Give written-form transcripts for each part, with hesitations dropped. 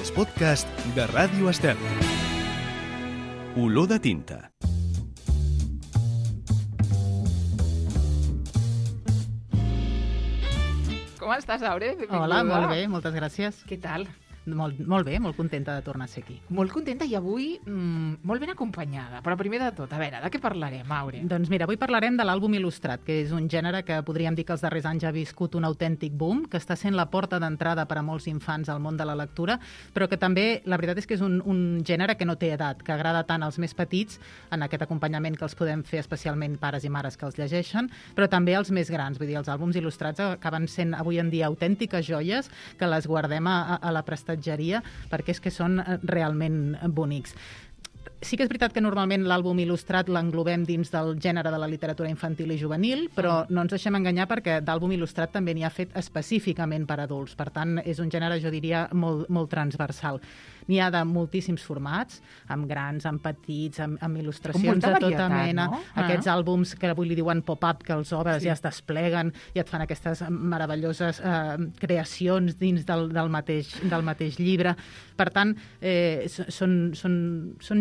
els podcasts de Ràdio Estel. Olor de tinta. Com estàs, Aure? Benvinguda. Hola, molt bé, moltes gràcies. Què tal? Molt bé, molt contenta de tornar a ser aquí. Molt contenta i avui molt ben acompanyada. Però primer de tot, a veure, de què parlarem, Aure? Doncs mira, avui parlarem de l'àlbum il·lustrat, que és un gènere que podríem dir que els darrers anys ha viscut un autèntic boom, que està sent la porta d'entrada per a molts infants al món de la lectura, però que també, la veritat és que és un gènere que no té edat, que agrada tant als més petits, en aquest acompanyament que els podem fer especialment pares i mares que els llegeixen, però també als més grans. Vull dir, els àlbums il·lustrats acaben sent avui en dia autèntiques joies que les guardem a la prestatgeria perquè és que són realment bonics. Sí que és veritat que normalment l'àlbum il·lustrat l'englobem dins del gènere de la literatura infantil i juvenil, però no ens deixem enganyar perquè d'àlbum il·lustrat també n'hi ha fet específicament per adults. Per tant, és un gènere, jo diria, molt transversal. N'hi ha de moltíssims formats, amb grans, amb petits, amb il·lustracions de tota mena. No? Aquests àlbums que avui li diuen pop-up, que els obres i es despleguen i et fan aquestes meravelloses creacions dins del mateix llibre. Per tant, són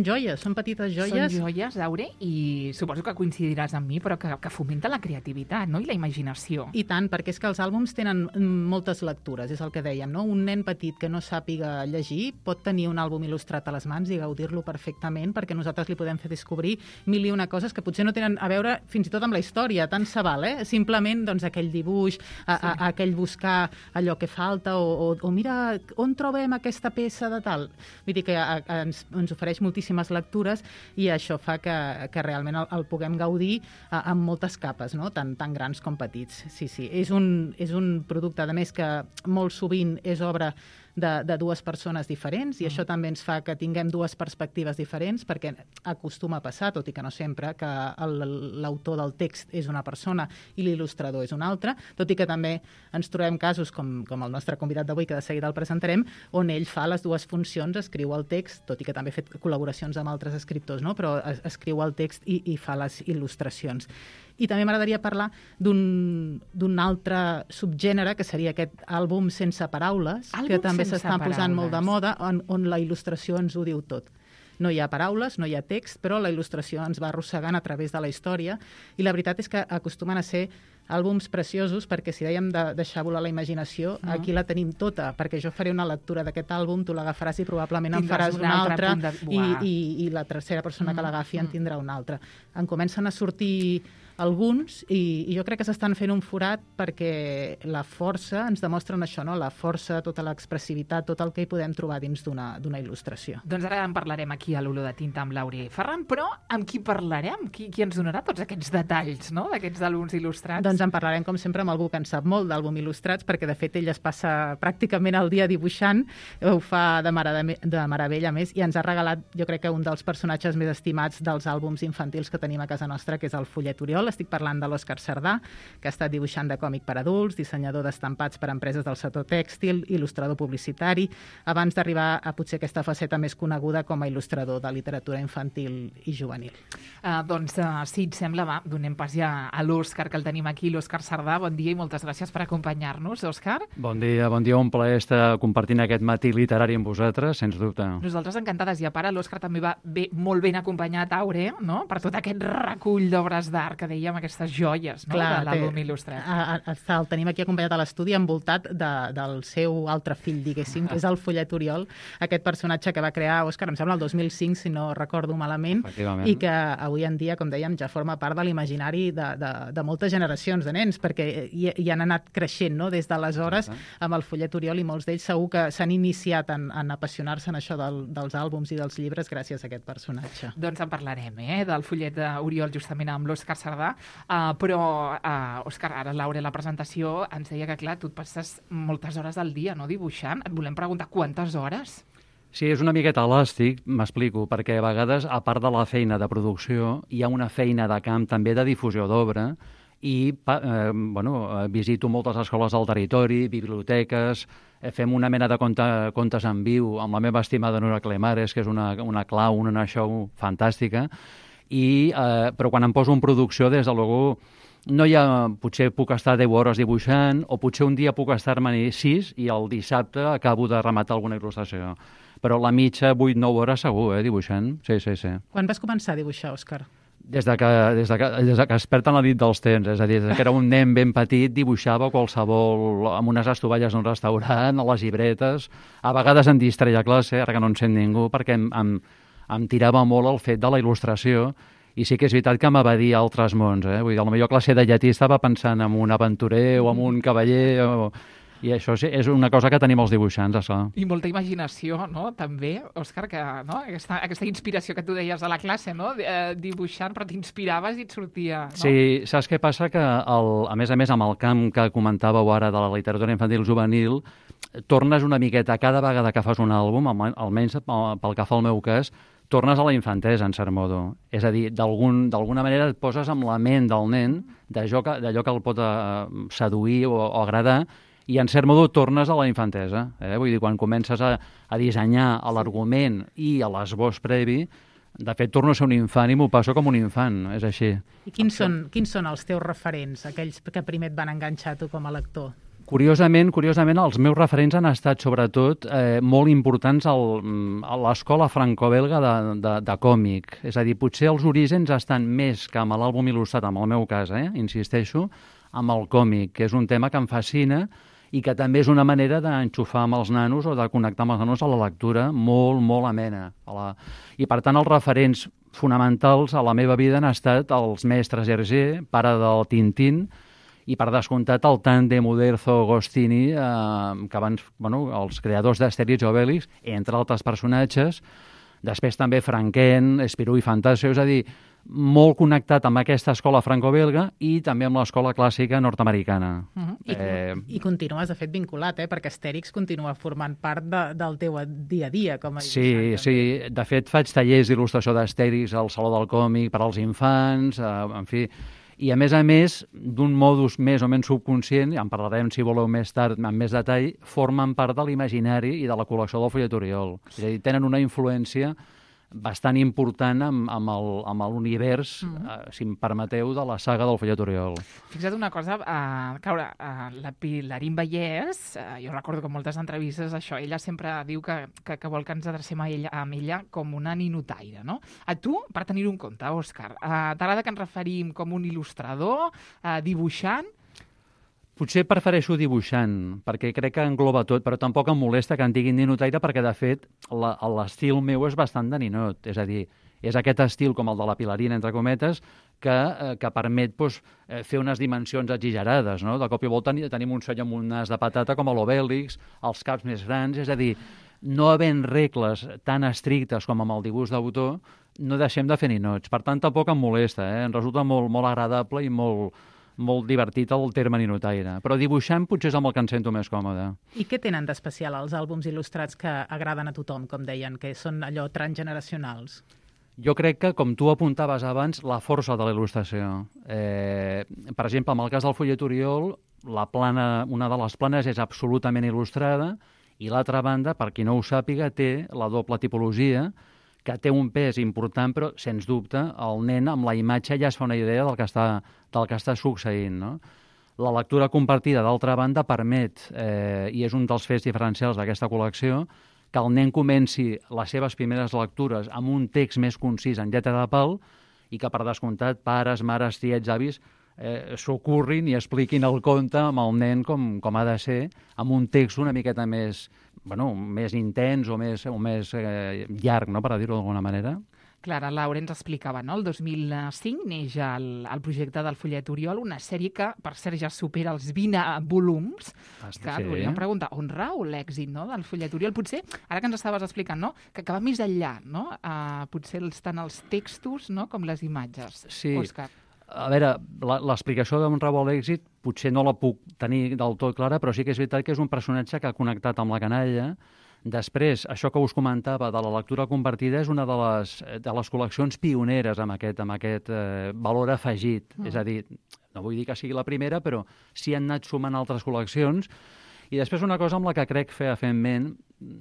joies, són petites joies. Són joies, Aure, i suposo que coincidiràs amb mi, però que fomenta la creativitat, no? I la imaginació. I tant, perquè és que els àlbums tenen moltes lectures, és el que dèiem, no? Un nen petit que no sàpiga llegir pot tenir un àlbum il·lustrat a les mans i gaudir-lo perfectament, perquè nosaltres li podem fer descobrir mil i una coses que potser no tenen a veure fins i tot amb la història, tant se val, Simplement, doncs, aquell dibuix, aquell buscar allò que falta, o mira, on trobem aquesta peça de tal? Vull dir que ens ofereix moltíssimes lectures i això fa que realment el puguem gaudir amb moltes capes, no? Tant grans com petits. Sí. És un producte, a més, que molt sovint és obra de dues persones diferents i això també ens fa que tinguem dues perspectives diferents, perquè acostuma a passar, tot i que no sempre, que l'autor del text és una persona i l'il·lustrador és una altra, tot i que també ens trobem casos com el nostre convidat d'avui, que de seguida el presentarem, on ell fa les dues funcions, escriu el text, tot i que també ha fet col·laboracions amb altres escriptors, no? Però escriu el text i fa les il·lustracions. I també m'agradaria parlar d'un altre subgènere, que seria aquest àlbum sense paraules, que també s'estan posant molt de moda, on la il·lustració ens ho diu tot. No hi ha paraules, no hi ha text, però la il·lustració ens va arrossegant a través de la història, i la veritat és que acostumen a ser àlbums preciosos, perquè si dèiem de deixar volar la imaginació, aquí la tenim tota, perquè jo faré una lectura d'aquest àlbum, tu l'agafaràs i probablement en faràs una altra, i la tercera persona que l'agafi en tindrà una altra. En comencen a sortir alguns, i jo crec que s'estan fent un forat perquè la força, ens demostren això, no? La força, tota l'expressivitat, tot el que hi podem trobar dins d'una il·lustració. Doncs ara en parlarem aquí a l'Olor de Tinta amb l'Aure Ferran, però amb qui parlarem? Qui ens donarà tots aquests detalls, no?, d'aquests àlbums il·lustrats? Doncs en parlarem, com sempre, amb algú que en sap molt d'àlbum il·lustrats, perquè de fet ell es passa pràcticament el dia dibuixant, ho fa de meravella, més, i ens ha regalat, jo crec que un dels personatges més estimats dels àlbums infantils que tenim a casa nostra, que és el Follet Oriol. Estic parlant de l'Òscar Cerdà, que ha estat dibuixant de còmic per adults, dissenyador d'estampats per a empreses del sector tèxtil, il·lustrador publicitari, abans d'arribar a potser aquesta faceta més coneguda com a il·lustrador de literatura infantil i juvenil. Si et sembla, va, donem pas ja a l'Òscar, que el tenim aquí, l'Òscar Cerdà. Bon dia i moltes gràcies per acompanyar-nos, Òscar. Bon dia, un plaer estar compartint aquest matí literari amb vosaltres, sens dubte. Nosaltres encantades, i a part l'Òscar també va molt ben acompanyat, Aure, no?, per tot aquest recull d'obres d'art que dèiem, aquestes joies, no?, de l'àlbum il·lustrat. El tenim aquí acompanyat a l'estudi, envoltat del seu altre fill, diguéssim, que és el Follet Oriol, aquest personatge que va crear Òscar, em sembla, el 2005, si no recordo malament, i que avui en dia, com dèiem, ja forma part de l'imaginari de moltes generacions de nens, perquè hi han anat creixent, no?, des d'aleshores amb el Follet Oriol, i molts d'ells segur que s'han iniciat en apassionar-se en això dels àlbums i dels llibres gràcies a aquest personatge. Doncs en parlarem, del Follet Oriol, justament amb l'Òscar Cerdà. Però, Òscar, ara Laura, la presentació ens deia que, clar, tu et passes moltes hores al dia, no?, dibuixant. Et volem preguntar quantes hores? Sí, és una miqueta elàstic, m'explico, perquè a vegades, a part de la feina de producció, hi ha una feina de camp també de difusió d'obra, i visito moltes escoles del territori, biblioteques, fem una mena de contes en viu amb la meva estimada Nora Clemares, que és una clau, una show fantàstica, però quan em poso en producció, des de luego, no hi ha... Potser puc estar 10 hores dibuixant, o potser un dia puc estar-me 6 i el dissabte acabo de rematar alguna il·lustració. Però la mitja, 8-9 hores segur, dibuixant. Sí. Quan vas començar a dibuixar, Òscar? Des que es perd en la nit dels temps, és a dir, des que era un nen ben petit, dibuixava qualsevol, amb unes estovalles d'un restaurant, a les llibretes, a vegades em distreia a classe, ara que no en sent ningú, perquè em tirava molt el fet de la il·lustració, i sí que és veritat que m'evadia altres mons, Vull dir, potser a classe de llatí estava pensant en un aventurer o en un cavaller, i això és una cosa que tenim els dibuixants, això. I molta imaginació, no?, també, Òscar, que, no?, aquesta inspiració que tu deies a la classe, no?, dibuixant, però t'inspiraves i et sortia, no? Sí, saps què passa? Que, a més, amb el camp que comentàveu ara de la literatura infantil juvenil, tornes una miqueta, cada vegada que fas un àlbum, almenys pel que fa al meu cas, tornes a la infantesa, en cert modo. És a dir, d'alguna manera et poses amb la ment del nen, d'allò que el pot seduir o agradar, i en cert modo tornes a la infantesa. Vull dir, quan comences a dissenyar l'argument i a l'esbós previ, de fet, torno a ser un infant i m'ho passo com un infant, és així. I quins són els teus referents, aquells que primer et van enganxar tu com a lector? Curiosament, els meus referents han estat, sobretot, molt importants a l'escola franco-belga de còmic. És a dir, potser els orígens estan més que amb l'àlbum il·lustrat, en el meu cas, insisteixo, amb el còmic, que és un tema que em fascina i que també és una manera d'enxufar amb els nanos o de connectar amb els nanos a la lectura molt, molt amena. I, per tant, els referents fonamentals a la meva vida han estat els mestres Hergé, pare del Tintín, i, per descomptat, el tàndem Uderzo-Gostini, que abans, els creadors d'Astèrix i Obélix, entre altres personatges, després també Franquén, Spirou i Fantasio, és a dir, molt connectat amb aquesta escola franco-belga i també amb l'escola clàssica nord-americana. I continues, de fet, vinculat, perquè Astèrix continua formant part del teu dia a dia com a dibuixant. Sí. De fet, faig tallers d'il·lustració d'Astèrix al Saló del Còmic per als infants, en fi. I, a més, d'un modus més o menys subconscient, en parlarem, si voleu, més tard, amb més detall, formen part de l'imaginari i de la col·lecció del Follet Oriol. És a dir, tenen una influència bastant important amb l'univers, si em permeteu, de la saga del Follet Oriol. Fixa't una cosa, la Pilarín Vallès, jo recordo que en moltes entrevistes això, ella sempre diu que vol que ens adrecem a ella com una ninotaire, no? A tu, per tenir-ho en compte, Òscar, t'agrada que ens referim com un il·lustrador, dibuixant? Potser prefereixo dibuixant, perquè crec que engloba tot, però tampoc em molesta que en diguin ninotaire, perquè, de fet, l'estil meu és bastant de ninot. És a dir, és aquest estil, com el de la Pilarina, entre cometes, que permet fer unes dimensions exagerades, no? De cop i volta tenim un seny amb un nas de patata com a l'Obèlix, els caps més grans, és a dir, no havent regles tan estrictes com amb el dibuix d'autor, no deixem de fer ninots. Per tant, tampoc em molesta, em resulta molt, molt agradable i molt divertit el terme ninotaire. Però dibuixant potser és amb el que em sento més còmode. I què tenen d'especial els àlbums il·lustrats que agraden a tothom, com deien, que són allò transgeneracionals? Jo crec que, com tu apuntaves abans, la força de la il·lustració. Per exemple, en el cas del Follet Oriol, una de les planes és absolutament il·lustrada i l'altra banda, per qui no ho sàpiga, té la doble tipologia, que té un pes important, però, sens dubte, el nen amb la imatge ja es fa una idea del que està succeint, no? La lectura compartida, d'altra banda, permet, i és un dels fets diferencials d'aquesta col·lecció, que el nen comenci les seves primeres lectures amb un text més concís en lletra de pal i que, per descomptat, pares, mares, tiets, avis, s'ocorrin i expliquin el conte amb el nen com ha de ser, amb un text una miqueta més intens o més llarg, no?, per dir-ho d'alguna manera. Clara Laura ens explicava, no? El 2005 neix el projecte del Follet Oriol, una sèrie que, per cert, ja supera els 20 volums. Que volíem preguntar, on rau l'èxit, no?, del Follet Oriol? Potser, ara que ens estaves explicant, no?, que va més enllà, no? Potser tant els textos, no?, com les imatges. Sí. Òscar. A veure, l'explicació d'on rau l'èxit potser no la puc tenir del tot clara, però sí que és veritat que és un personatge que ha connectat amb la canalla. Després, això que us comentava de la lectura compartida és una de les col·leccions pioneres amb aquest valor afegit. És a dir, no vull dir que sigui la primera, però sí han anat sumant altres col·leccions. I després una cosa amb la que crec fefaentment,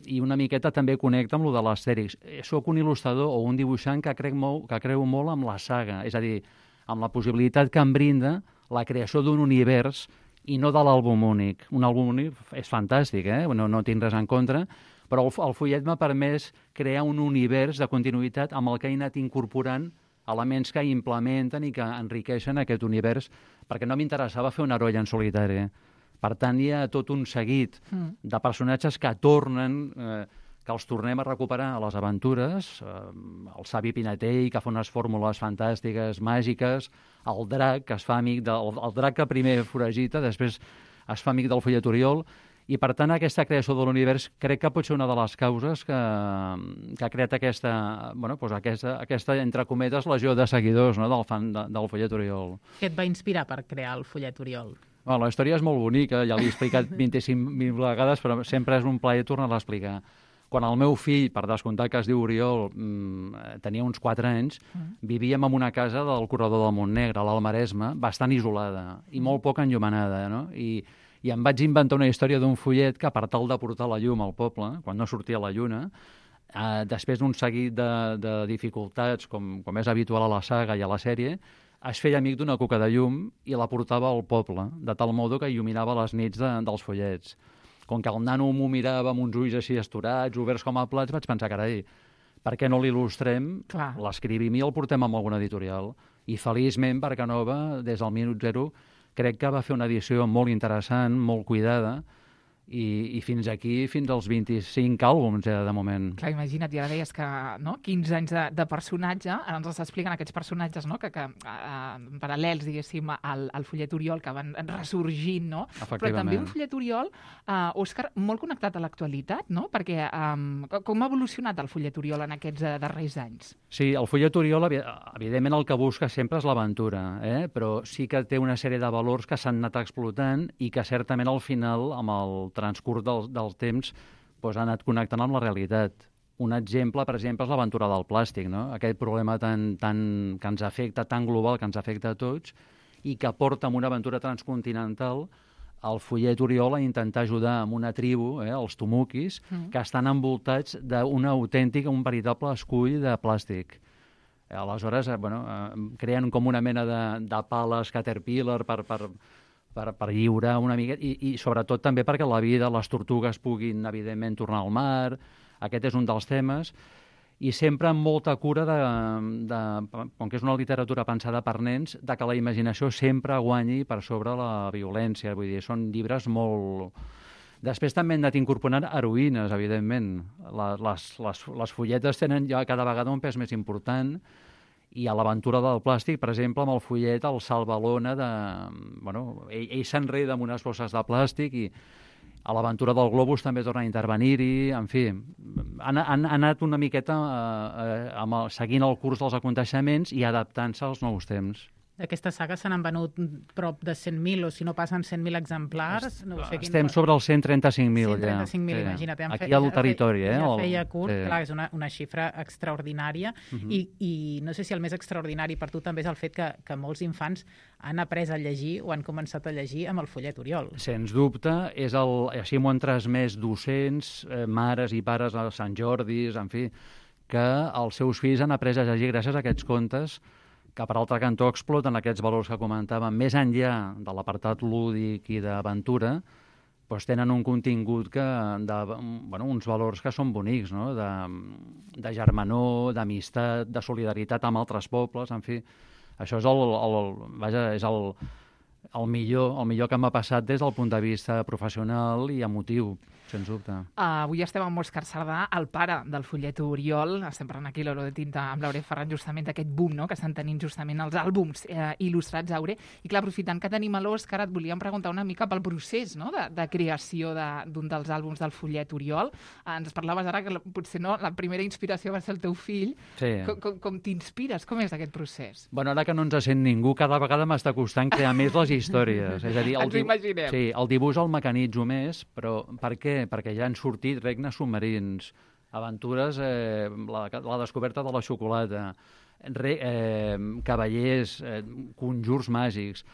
i una miqueta també connecta amb lo de l'Astèrix. Soc un il·lustrador o un dibuixant que creu molt amb la saga, és a dir, amb la possibilitat que em brinda la creació d'un univers i no de l'àlbum únic. Un àlbum únic és fantàstic, no tinc res en contra, però el fullet m'ha permès crear un univers de continuïtat amb el que he anat incorporant elements que implementen i que enriqueixen aquest univers, perquè no m'interessava fer un heroi en solitari. Per tant, hi ha tot un seguit de personatges que tornen, que els tornem a recuperar a les aventures, el savi Pinatell, que fa unes fórmules fantàstiques, màgiques, el drac, que es fa amic el drac que primer foragita, després es fa amic del fullet Oriol, i per tant aquesta creació de l'univers crec que pot ser una de les causes que ha creat aquesta, entre cometes, legió de seguidors, no?, del fan del fullet Oriol. Què et va inspirar per crear el fullet Oriol? Bueno, la història és molt bonica, ja l'he explicat 25.000 vegades, però sempre és un plaer tornar-la a explicar. Quan el meu fill, per descomptar que es diu Oriol, tenia uns 4 anys, vivíem en una casa del corredor del Montnegre, a l'Almaresme, bastant isolada i molt poc enllumenada, no? I em vaig inventar una història d'un follet que, per tal de portar la llum al poble, quan no sortia la lluna, després d'un seguit de dificultats, com és habitual a la saga i a la sèrie, es feia amic d'una cuca de llum i la portava al poble, de tal modo que il·luminava les nits dels follets. Com que el nano m'ho mirava amb uns ulls així esturats, oberts com a plats, vaig pensar, carai, per què no l'il·lustrem, l'escrivim i el portem amb alguna editorial? I feliçment, Barcanova, des del minut zero, crec que va fer una edició molt interessant, molt cuidada, i fins aquí, fins als 25 àlbums de moment. Clar, imagina't, ja deies que 15 anys de personatge, ara ens expliquen aquests personatges que paral·lels, diguéssim, al fullet Oriol, que van ressorgint, no? Però també un fullet Oriol, Òscar, molt connectat a l'actualitat, no? Perquè com ha evolucionat el fullet Oriol en aquests darrers anys? Sí, el fullet Oriol, evidentment, el que busca sempre és l'aventura, però sí que té una sèrie de valors que s'han anat explotant i que certament al final, amb el transcurs del temps, ha anat connectant amb la realitat. Un exemple, per exemple, és l'aventura del plàstic, no? Aquest problema que ens afecta, tan global, que ens afecta a tots, i que porta amb una aventura transcontinental el fullet Oriol a intentar ajudar amb una tribu, els Tumuquis, que estan envoltats d'un autèntic, un veritable escull de plàstic. Aleshores, creen com una mena de pales Caterpillar per lliurar una mica, i sobretot també perquè la vida, les tortugues puguin, evidentment, tornar al mar. Aquest és un dels temes. I sempre amb molta cura, com que és una literatura pensada per nens, de que la imaginació sempre guanyi per sobre la violència. Vull dir, són llibres molt... Després també hem anat incorporant heroïnes, evidentment. Les fulletes tenen ja cada vegada un pes més important, i a l'aventura del plàstic, per exemple, amb el fullet, el salva-lona ell s'enreda amb unes bosses de plàstic, i a l'aventura del globus també torna a intervenir-hi. En fi, han anat una miqueta seguint el curs dels aconteixements i adaptant-se als nous temps. D'aquesta saga se n'han venut prop de 100.000, o si no passen 100.000 exemplars. Estem sobre els 135.000, ja. 135.000, imagina't. Aquí al territori, Ja feia curt, clar, és una xifra extraordinària, i no sé si el més extraordinari per tu també és el fet que molts infants han après a llegir o han començat a llegir amb el fullet Oriol. Sens dubte, així m'ho han transmès docents, mares i pares a Sant Jordis, en fi, que els seus fills han après a llegir gràcies a aquests contes, que per altre cantó exploten aquests valors que comentàvem, més enllà de l'apartat lúdic i d'aventura, tenen un contingut uns valors que són bonics, no? De germanor, d'amistat, de solidaritat amb altres pobles, en fi. Això és el millor que m'ha passat des del punt de vista professional i emotiu, sens dubte. Avui estem amb Òscar Sardà, el pare del fullet Oriol. Estem parlant aquí a l'Hora de Tinta amb l'Aure Ferran, justament d'aquest boom, no?, que estan tenint justament els àlbums il·lustrats, Aure. I clar, aprofitant que tenim a l'Òscar, et volíem preguntar una mica pel procés, no?, de creació d'un dels àlbums del fullet Oriol. Ens parlaves ara que potser la primera inspiració va ser el teu fill. Sí. Com t'inspires? Com és aquest procés? Bueno, ara que no ens sent ningú, cada vegada m'està costant crear més les històries. És a dir, ens ho imaginem. Sí, el dibuix el mecanitzo més, però per què? Perquè ja han sortit regnes submarins, aventures, la descoberta de la xocolata, cavallers, conjurs màgics,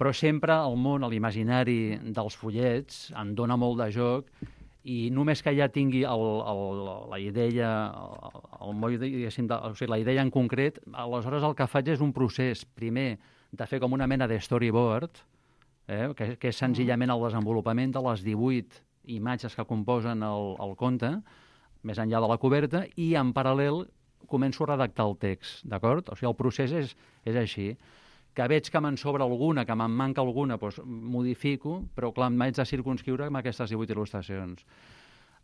però sempre el món, l'imaginari dels fullets em dona molt de joc, i només que ja tingui la idea, la idea en concret, aleshores el que faig és un procés, primer, de fer com una mena de storyboard, que és senzillament el desenvolupament de les 18 imatges que composen el conte, més enllà de la coberta, i en paral·lel començo a redactar el text, d'acord? O sigui, el procés és així. Que veig que me'n sobra alguna, que me'n manca alguna, doncs modifico, però clar, m'haig de circunscriure amb aquestes 18 il·lustracions.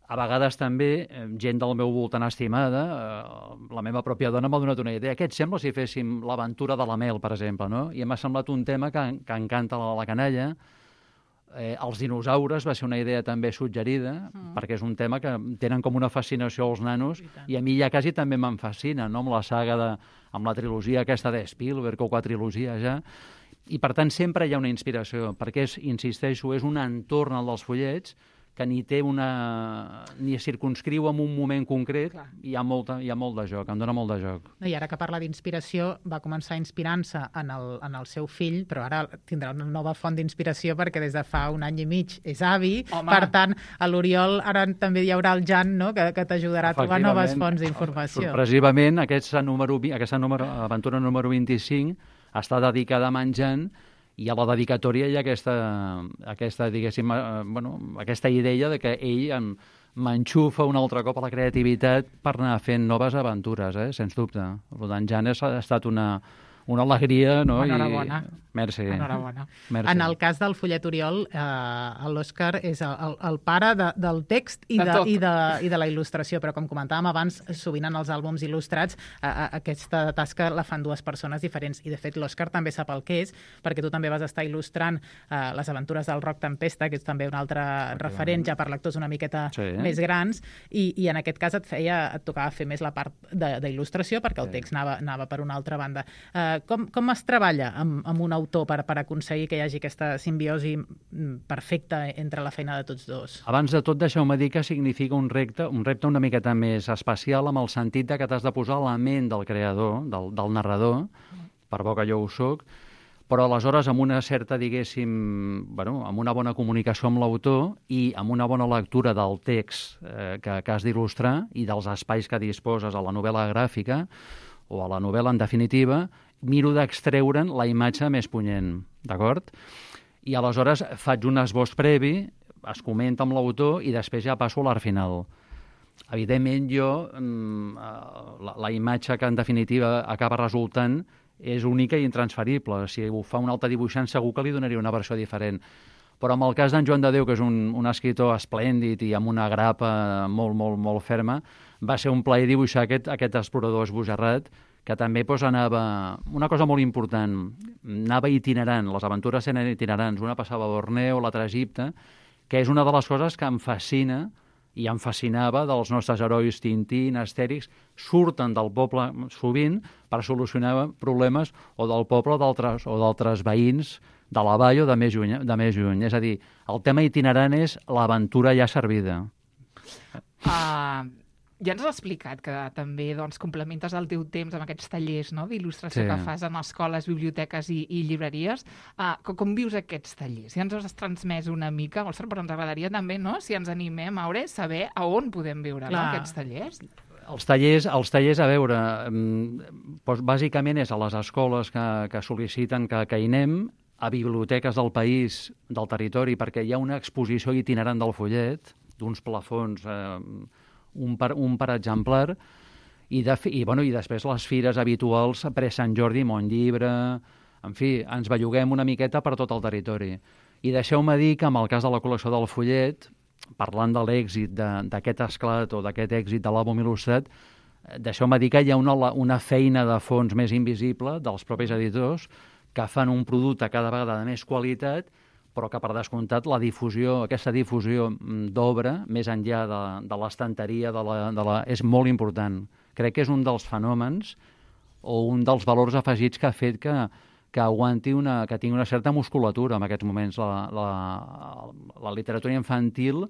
A vegades també, gent del meu voltant estimada, la meva pròpia dona m'ha donat una idea. Què et sembla si féssim l'aventura de la Mel, per exemple, no? I m'ha semblat un tema que encanta la canalla. Els dinosaures va ser una idea també suggerida, perquè és un tema que tenen com una fascinació als nanos, i a mi ja quasi també me'n fascina, no? Amb la saga amb la trilogia aquesta de Spielberg, o quadrilogia ja, i per tant sempre hi ha una inspiració, perquè insisteixo, és un entorn al dels fullets que ni circunscriu en un moment concret. Clar. Hi ha molt de joc, em dona molt de joc. I ara que parla d'inspiració, va començar inspirant-se en el seu fill, però ara tindrà una nova font d'inspiració perquè des de fa un any i mig és avi. Home. Per tant, a l'Oriol ara també hi haurà el Jan, no?, que t'ajudarà a trobar noves fonts d'informació. Sorpresivament, aquesta aventura número 25 està dedicada a en Jan, i a la dedicatòria hi ha aquesta diguéssim, aquesta idea de que ell m'enxufa un altre cop a la creativitat per anar fent noves aventures, sens dubte. Per tant, Jan ha estat una alegria, no? Enhorabona. Merci. Enhorabona. Merci. En el cas del fullet Oriol, l'Òscar és el pare del text i de la il·lustració, però com comentàvem abans, sovint en els àlbums il·lustrats aquesta tasca la fan dues persones diferents, i de fet l'Òscar també sap el que és, perquè tu també vas estar il·lustrant les aventures del Roc Tempesta, que és també un altre referent ja per lectors una miqueta més grans, i en aquest cas et tocava fer més la part d'il·lustració, perquè el text anava per una altra banda. Com es treballa amb un autor per aconseguir que hi hagi aquesta simbiosi perfecta entre la feina de tots dos? Abans de tot, deixeu-me dir que significa un repte una miqueta més especial, amb el sentit que t'has de posar a la ment del creador, del narrador, per bo que jo ho soc, però aleshores amb una certa, diguéssim, amb una bona comunicació amb l'autor i amb una bona lectura del text que has d'il·lustrar i dels espais que disposes a la novel·la gràfica o a la novel·la en definitiva, miro d'extreure'n la imatge més punyent, d'acord? I aleshores faig un esbós previ, es comenta amb l'autor i després ja passo a l'art final. Evidentment, la imatge que en definitiva acaba resultant és única i intransferible. Si ho fa un altre dibuixant segur que li donaria una versió diferent. Però en el cas d'en Joan de Déu, que és un escriptor esplèndid i amb una grapa molt, molt, molt ferma, va ser un plaer dibuixar aquest explorador esbojarrat, que també anava... Una cosa molt important, anava itinerant, les aventures eren itinerants, una passava a Borneo, l'altra a Egipte, que és una de les coses que em fascina i em fascinava dels nostres herois Tintín, Astèrix, surten del poble sovint per solucionar problemes o del poble o d'altres veïns de la vall o de més lluny. És a dir, el tema itinerant és l'aventura ja servida. Ja ens has explicat que també complementes el teu temps amb aquests tallers d'il·lustració que fas en escoles, biblioteques i llibreries. Com vius aquests tallers? Ja ens has transmès una mica, però ens agradaria també, si ens animem a saber a on podem viure aquests tallers. Els tallers, a veure, bàsicament és a les escoles que sol·liciten que hi anem, a biblioteques del país, del territori, perquè hi ha una exposició itinerant del follet, d'uns plafons, un per exemplar, i després les fires habituals, pre-Sant Jordi, Montllibre, en fi, ens belluguem una miqueta per tot el territori. I deixeu-me dir que en el cas de la col·lecció del follet, parlant de l'èxit d'aquest esclat o d'aquest èxit de l'àlbum il·lustrat, deixeu-me dir que hi ha una feina de fons més invisible dels propis editors que fan un producte cada vegada de més qualitat, però que per descomptat aquesta difusió d'obra, més enllà de l'estanteria, és molt important. Crec que és un dels fenòmens o un dels valors afegits que ha fet que aguanti que tingui una certa musculatura en aquests moments la literatura infantil,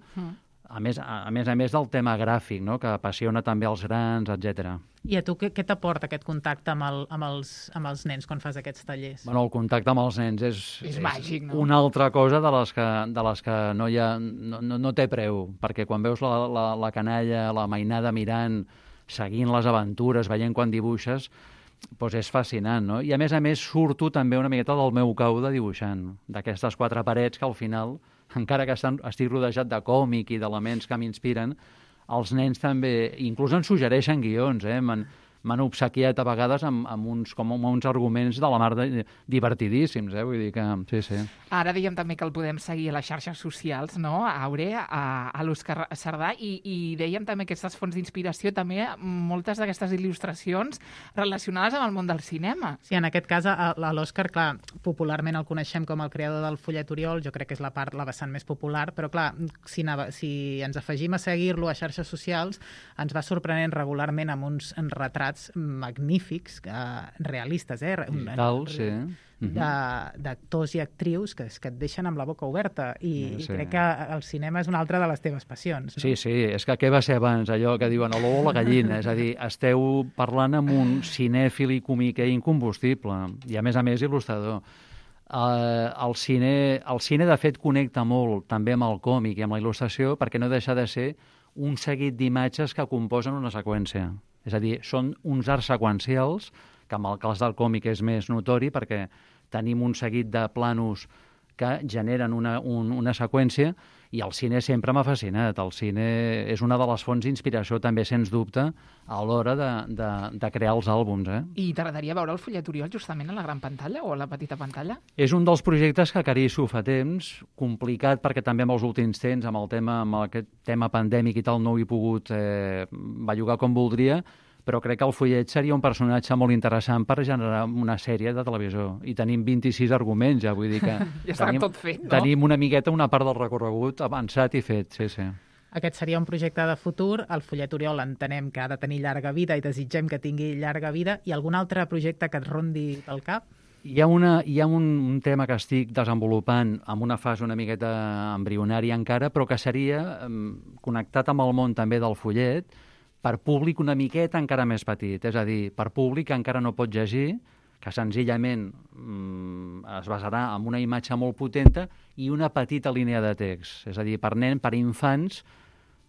a més del tema gràfic, que apassiona també els grans, etc. I a tu què t'aporta aquest contacte amb els nens quan fas aquests tallers? Bueno, el contacte amb els nens és màgic, no? Una altra cosa de les que no té preu, perquè quan veus la canalla, la mainada mirant, seguint les aventures, veient quan dibuixes, doncs és fascinant, no? I a més surto també una miqueta del meu cau de dibuixant, d'aquestes 4 parets que al final, encara que estic rodejat de còmic i d'elements que m'inspiren, els nens també, inclús ens suggereixen guions, m'han obsequiat a vegades amb uns arguments de la mar divertidíssims, vull dir que sí. Ara dèiem també que el podem seguir a les xarxes socials, no? Aure, a l'Òscar Sardà, i dèiem també que aquestes fonts d'inspiració, també moltes d'aquestes il·lustracions relacionades amb el món del cinema. Sí, en aquest cas, l'Òscar, clar, popularment el coneixem com el creador del fullet Oriol, jo crec que és la vessant més popular, però clar, si ens afegim a seguir-lo a xarxes socials, ens va sorprenent regularment amb uns retrats magnífics, realistes, d'actors i actrius que et deixen amb la boca oberta, i crec que el cinema és una altra de les teves passions, no? Sí, és que què va ser abans, allò que diuen l'ou o la gallina, és a dir, esteu parlant amb un cinèfil i comiquer incombustible, i a més il·lustrador. El cine, de fet, connecta molt també amb el còmic i amb la il·lustració, perquè no deixa de ser un seguit d'imatges que composen una seqüència. És a dir, són uns arts seqüencials, que en el cas del còmic és més notori, perquè tenim un seguit de planos que generen una seqüència, i el cine sempre m'ha fascinat. El cine és una de les fonts d'inspiració també, sens dubte, a l'hora de crear els àlbums. I t'agradaria veure el fullet Oriol justament a la gran pantalla o a la petita pantalla? És un dels projectes que acaricio fa temps, complicat perquè també amb els últims temps, amb aquest tema pandèmic i tal, no ho he pogut bellugar com voldria, però crec que el fullet seria un personatge molt interessant per generar una sèrie de televisió. I tenim 26 arguments, ja vull dir que ja està tot fet, no? Tenim una miqueta, una part del recorregut avançat i fet, sí. Aquest seria un projecte de futur. El fullet Oriol entenem que ha de tenir llarga vida i desitgem que tingui llarga vida. I algun altre projecte que et rondi pel cap? Hi ha un tema que estic desenvolupant amb una fase una miqueta embrionària encara, però que seria connectat amb el món també del fullet, per públic una miqueta encara més petit, és a dir, per públic que encara no pot llegir, que senzillament es basarà en una imatge molt potenta i una petita línia de text. És a dir, per infants,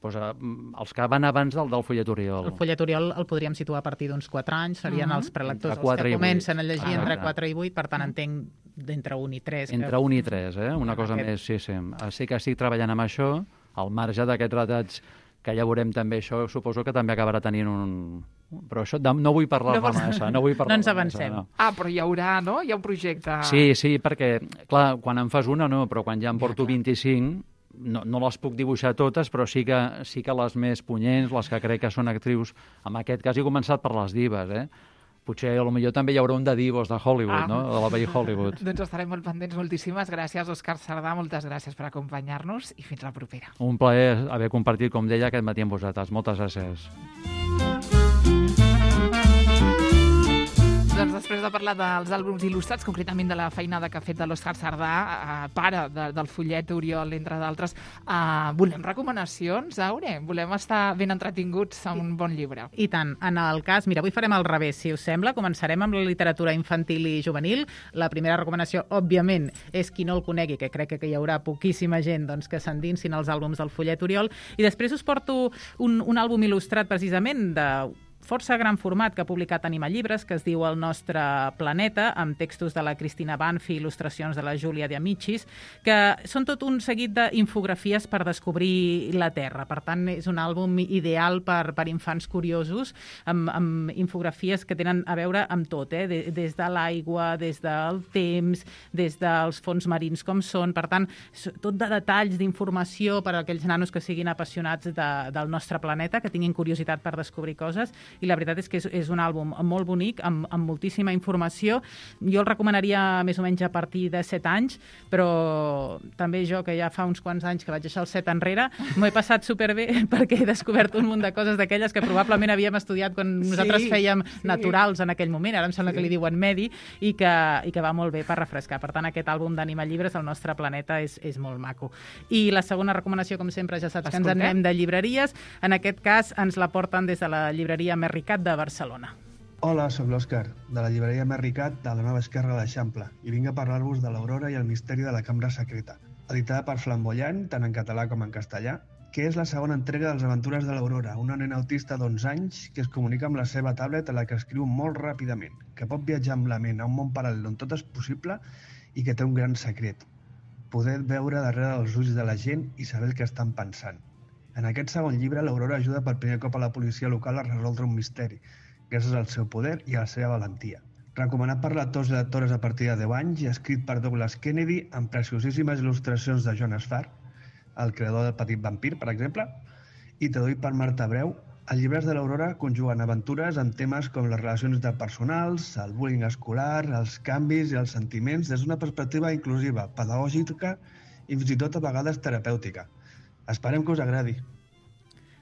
els que van abans del fullet Oriol. El fullet Oriol el podríem situar a partir d'uns 4 anys, serien els prelectors els que comencen a llegir entre 4 i 8, per tant entenc d'entre 1 i 3. Entre 1 i 3, una cosa més, sí. Sí que estic treballant amb això, al marge d'aquests retrats que ja veurem també això, suposo que també acabarà tenint un... Però això no vull parlar-ne massa. No ens avancem. No. Però hi haurà, no? Hi ha un projecte... Sí, perquè, clar, quan en fas una no, però quan ja en porto 25, no les puc dibuixar totes, però sí que les més punyents, les que crec que són actrius, en aquest cas he començat per les divas, Potser, potser també hi haurà un de divos de Hollywood, no? De la vell Hollywood. Doncs estarem molt pendents. Moltíssimes gràcies, Òscar Sardà. Moltes gràcies per acompanyar-nos i fins la propera. Un plaer haver compartit, com deia, aquest matí amb vosaltres. Moltes gràcies. Doncs després de parlar dels àlbums il·lustrats, concretament de la feinada que ha fet de l'Òscar Sardà, pare del fullet Oriol, entre d'altres, volem recomanacions, Aure? Volem estar ben entretinguts amb un bon llibre. I tant. En el cas, mira, avui farem al revés, si us sembla. Començarem amb la literatura infantil i juvenil. La primera recomanació, òbviament, és qui no el conegui, que crec que hi haurà poquíssima gent que s'endinsin als àlbums del fullet Oriol. I després us porto un àlbum il·lustrat precisament de força gran format que ha publicat Anima Llibres, que es diu El nostre planeta, amb textos de la Cristina Banfi i il·lustracions de la Júlia de Amicis, que són tot un seguit d'infografies per descobrir la Terra. Per tant, és un àlbum ideal per infants curiosos, amb infografies que tenen a veure amb tot, des de l'aigua, des del temps, des dels fons marins com són. Per tant, tot de detalls d'informació per a aquells nanos que siguin apassionats del nostre planeta, que tinguin curiositat per descobrir coses. I la veritat és que és un àlbum molt bonic, amb moltíssima informació. Jo el recomanaria més o menys a partir de 7 anys, però també jo, que ja fa uns quants anys que vaig deixar el 7 enrere, m'ho he passat superbé perquè he descobert un munt de coses d'aquelles que probablement havíem estudiat quan nosaltres fèiem naturals en aquell moment, ara em sembla que li diuen medi, i que va molt bé per refrescar. Per tant, aquest àlbum d'Anima Llibres, El nostre planeta, és molt maco. I la segona recomanació, com sempre, ja saps que ens en anem de llibreries. En aquest cas, ens la porten des de la llibreria Merricat de Barcelona. Hola, sóc l'Òscar, de la llibreria Merricat de la Nova Esquerra de l'Eixample, i vinc a parlar-vos de l'Aurora i el misteri de la cambra secreta, editada per Flamboyant, tant en català com en castellà, que és la segona entrega de les aventures de l'Aurora, una nena autista d'11 anys que es comunica amb la seva tablet a la que escriu molt ràpidament, que pot viatjar amb la ment a un món paral·lel on tot és possible i que té un gran secret: poder veure darrere dels ulls de la gent i saber el que estan pensant. En aquest segon llibre, l'Aurora ajuda per primer cop a la policia local a resoldre un misteri, gràcies al seu poder i a la seva valentia. Recomanat per lectors i lectores a partir de 10 anys i escrit per Douglas Kennedy amb preciosíssimes il·lustracions de Jonas Farr, el creador del Petit Vampir, per exemple, i traduït per Marta Breu, els llibres de l'Aurora conjuguen aventures amb temes com les relacions interpersonals, el bullying escolar, els canvis i els sentiments des d'una perspectiva inclusiva, pedagògica i fins i tot a vegades terapèutica. Esperem que us agradi.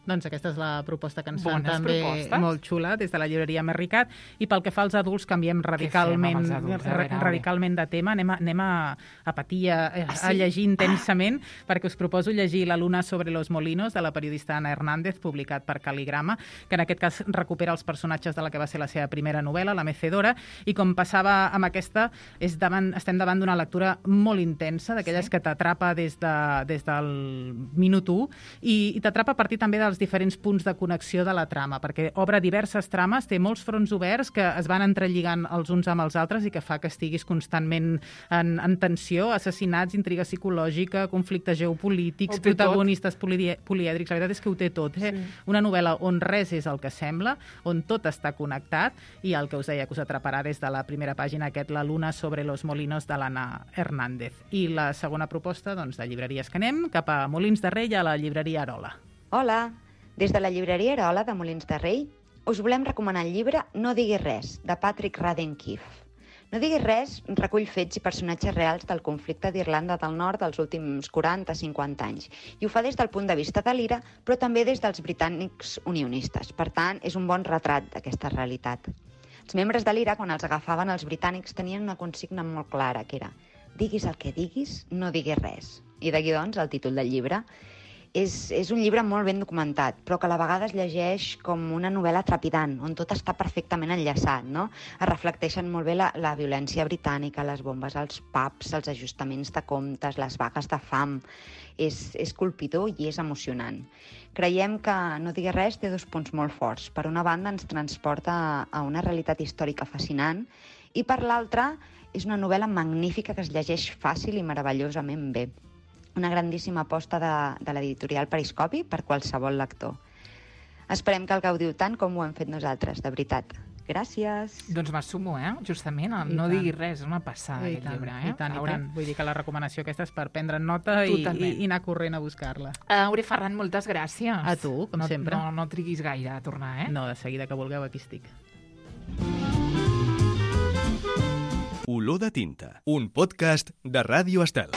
Doncs aquesta és la proposta que ens fan Bones també propostes. molt xula des de la llibreria Merricat. I pel que fa als adults, canviem radicalment, els adults? A veure. radicalment de tema. Anem a patir, a llegir intensament, perquè us proposo llegir La luna sobre los molinos, de la periodista Ana Hernández, publicat per Caligrama, que en aquest cas recupera els personatges de la que va ser la seva primera novel·la, La mecedora, i com passava amb aquesta, estem davant d'una lectura molt intensa, d'aquelles que t'atrapa des del minut 1, i t'atrapa a partir també dels diferents punts de connexió de la trama, perquè obre diverses trames, té molts fronts oberts que es van entrelligant els uns amb els altres i que fa que estiguis constantment en tensió, assassinats, intriga psicològica, conflictes geopolítics, protagonistes polièdrics. La veritat és que ho té tot. Sí. Una novel·la on res és el que sembla, on tot està connectat, i el que us deia que us atraparà des de la primera pàgina, La luna sobre los molinos, de l'Anna Hernández. I la segona proposta, doncs, de llibreries que anem, cap a Molins de Rei, a la llibreria Arola. Hola! Des de la llibreria Arola de Molins de Rei us volem recomanar el llibre No diguis res, de Patrick Radden Keefe. No diguis res recull fets i personatges reals del conflicte d'Irlanda del Nord dels últims 40-50 anys, i ho fa des del punt de vista de l'IRA, però també des dels britànics unionistes. Per tant, és un bon retrat d'aquesta realitat. Els membres de l'IRA, quan els agafaven els britànics, tenien una consigna molt clara, que era: diguis el que diguis, no diguis res. I d'aquí, doncs, el títol del llibre. És un llibre molt ben documentat, però que a la vegada es llegeix com una novel·la trepidant, on tot està perfectament enllaçat, no? Es reflecteixen molt bé la violència britànica, les bombes als pubs, els ajustaments de comptes, les vagues de fam. És colpidor i és emocionant. Creiem que No diguis res té 2 punts molt forts. Per una banda, ens transporta a una realitat històrica fascinant, i per l'altra, és una novel·la magnífica que es llegeix fàcil i meravellosament bé. Una grandíssima aposta de l'editorial Periscopi per qualsevol lector. Esperem que el gaudiu tant com ho hem fet nosaltres, de veritat. Gràcies! Doncs m'assumo, justament, No diguis res, és una passada aquest llibre. I tant. Vull dir que la recomanació aquesta és per prendre nota i anar corrent a buscar-la. Aure Ferran, moltes gràcies. A tu, com sempre. No triguis gaire a tornar, No, de seguida que vulgueu, aquí estic. Olor de tinta, un podcast de Ràdio Estel.